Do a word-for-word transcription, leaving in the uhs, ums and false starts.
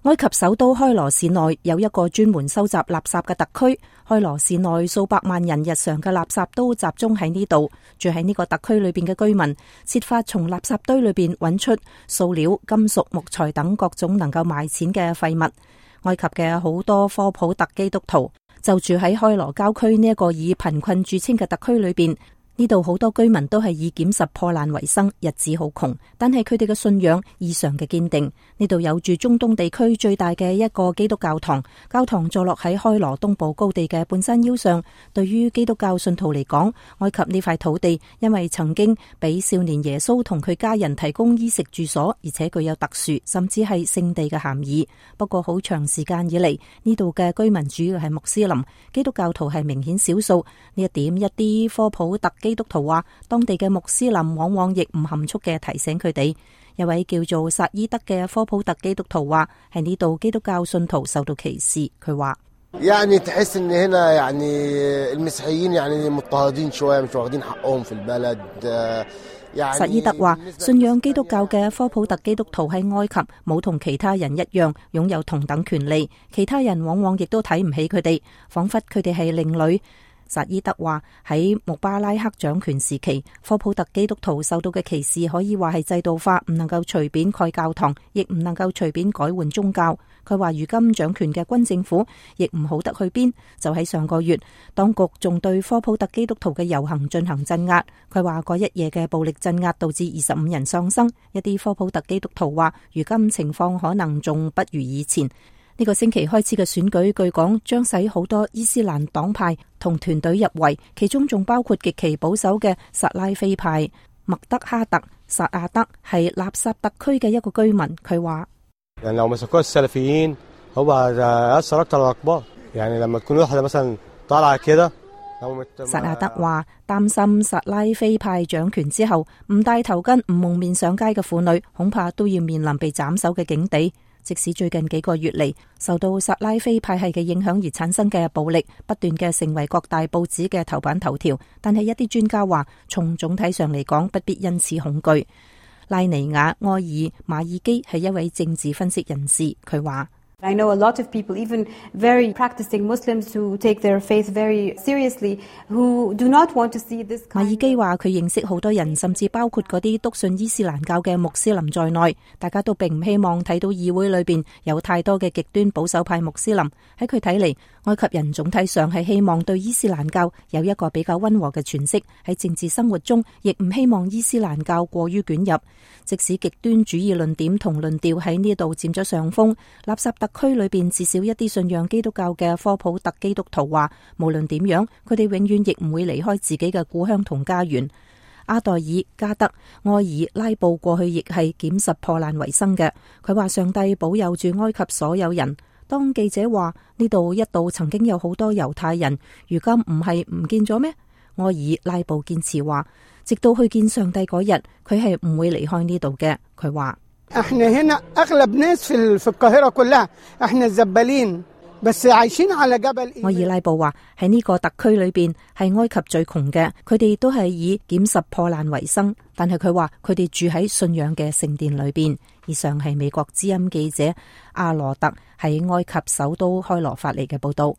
埃及首都開羅市內有一個專門收集垃圾嘅特區，開羅市內數百萬人日常嘅垃圾都集中喺呢度。住喺呢個特區裏邊嘅居民設法從垃圾堆裏邊揾出塑料、金屬、木材等各種能夠賣錢嘅廢物。埃及嘅好多科普特基督徒就住喺開羅郊區呢一個以貧困著稱嘅特區裏邊。呢度好多居民都係以撿拾破爛為生，日子好窮，但係佢哋嘅信仰異常嘅堅定。呢度有住中東地區最大嘅一個基督教堂，教堂坐落喺開羅東部高地嘅半山腰上。對於基督教信徒嚟講，埃及呢塊土地因為曾經俾少年耶穌同佢家人提供衣食住所，而且具有特殊甚至係聖地嘅含義。不過好長時間以嚟，呢度嘅居民主要係穆斯林，基督教徒係明顯少數。呢一點一啲科普特基督徒話，當地嘅穆斯林往往亦唔含蓄嘅提醒佢哋。一位叫做薩伊德嘅科普特基督徒話，喺呢度基督教信徒受到歧視。佢話يعني تحس إن هنا يعني المسيحيين يعني مضطهدين شوية مش واخدين حقهم في البلد。薩伊德話，信仰基督教嘅科普特基督徒喺埃及冇同其他人一樣擁有同等權利，其他人往往亦都睇唔起佢哋，仿佛佢哋係另類。薩伊德話，喺穆巴拉克掌權時期，科普特基督徒受到嘅歧視可以話係制度化，唔能夠隨便蓋教堂，亦唔能夠隨便改換宗教。佢話如今掌權嘅軍政府亦唔好得去邊。就喺上個月，當局仲對科普特基督徒嘅遊行進行鎮壓。佢話嗰一夜嘅暴力鎮壓導致二十五人喪生。一啲科普特基督徒話，如今情況可能仲不如以前。呢個星期開始嘅選舉，據講將使好多伊斯蘭黨派同團隊入圍，其中仲包括極其保守嘅薩拉菲派。麥德哈特·薩亞德係納薩特區嘅一個居民，佢話：薩亞德話擔心薩拉菲派掌權之後，唔戴頭巾、唔蒙面上街嘅婦女，恐怕都要面臨被斬首嘅境地。即使最近幾個月嚟，受到薩拉菲派系嘅影響而產生嘅暴力，不斷嘅成為各大報紙嘅頭版頭條，但係一啲專家話，從總體上嚟講，不必因此恐懼。拉尼亞埃爾馬爾基係一位政治分析人士，佢話I know a lot of people, even very practicing Muslims who take their faith very seriously, who do not want to see this kind of... 馬爾基話佢認識好多人，甚至包括嗰啲篤信伊斯蘭教嘅穆斯林在內，大家都並唔希望睇到議會裏邊有太多嘅極端保守派穆斯林。喺佢睇嚟，埃及人總體上係希望對伊斯蘭教有一個比較溫和嘅詮釋，喺政治生活中亦唔希望伊斯蘭教過於捲入。即使極端主義論點同論調喺呢度佔咗上風，納薩特區裏邊至少一啲信仰基督教嘅科普特基督徒話，無論點樣，佢哋永遠亦唔會離開自己嘅故鄉同家園。阿代爾、加德、埃爾、拉布過去亦係撿拾破爛為生嘅。佢話上帝保佑住埃及所有人。當記者話呢度一度曾經有好多猶太人，如今唔係唔見咗咩？埃爾拉布堅持話，直到去見上帝嗰日，佢係唔會離開呢度嘅。佢話埃爾拉布話喺呢個特區裏邊係埃及最窮嘅，佢哋都係以撿拾破爛為生，但係佢話佢哋住喺信仰嘅聖殿裏邊。以上係美國之音記者阿羅特喺埃及首都開羅發嚟嘅報道。